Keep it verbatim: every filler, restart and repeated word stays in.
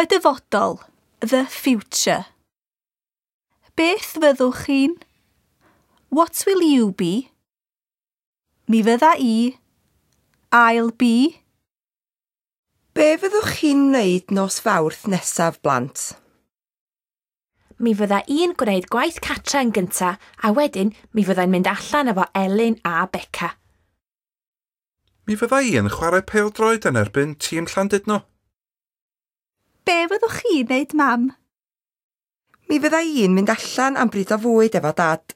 Y dyfodol, the future. Beth fyddwch chi'n? What will you be? Mi fydda i. I'll be. Be fyddwch chi'n wneud nos Fawrth nesaf, blant? Mi fydda i'n gwneud gwaith catra yn gynta a wedyn mi fyddai'n mynd allan efo Elin a Beca. Mi fydda i yn chwarae pêl-droed yn erbyn tîm Llandudno. Be fyddwch chi'n wneud, mam? Mi fydda i'n mynd allan am bryd o fwyd efo dad.